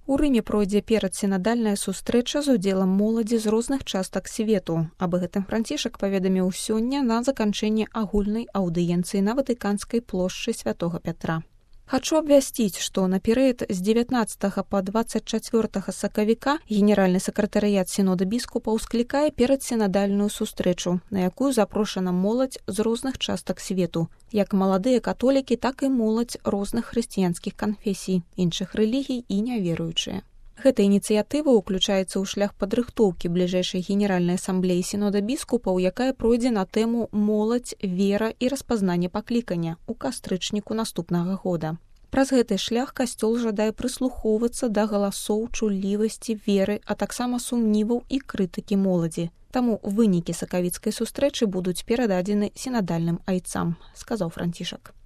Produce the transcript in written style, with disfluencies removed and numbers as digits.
У Рыме пройдзе перадсінадальная сустрэча з удзелам моладзі з розных частак свету. Аб гэтым Францішак паведаміў сёння на заканчэнні агульнай аўдыенцыі на Ватыканскай плошчы Святога Пятра. Хачу абвясціць, што на перыяд з 19 па 24 сакавіка генеральны сакратарыят сінода біскупаў склікае перадсінадальную сустрэчу, на якую запрошана моладзь з розных частак свету, як маладыя католікі, так і моладзь розных хрысціянскіх канфесій, іншых рэлігій і няверуючыя. Гэта ініцыятыва ўключаецца ў шлях падрыхтоўкі бліжэйшай генеральнай асамблеі сінода біскупаў, якая пройдзе на тэму «Моладзь, вера і распазнанне паклікання» у кастрычніку наступнага года. Праз гэты шлях касцёл жадае прыслухоўвацца да галасоў чуллівасці, веры, а таксама сумніваў і крытыкі моладзі. Таму вынікі сакавіцкай сустрэчы будуць перададзены сінадальным айцам, сказаў Францішак.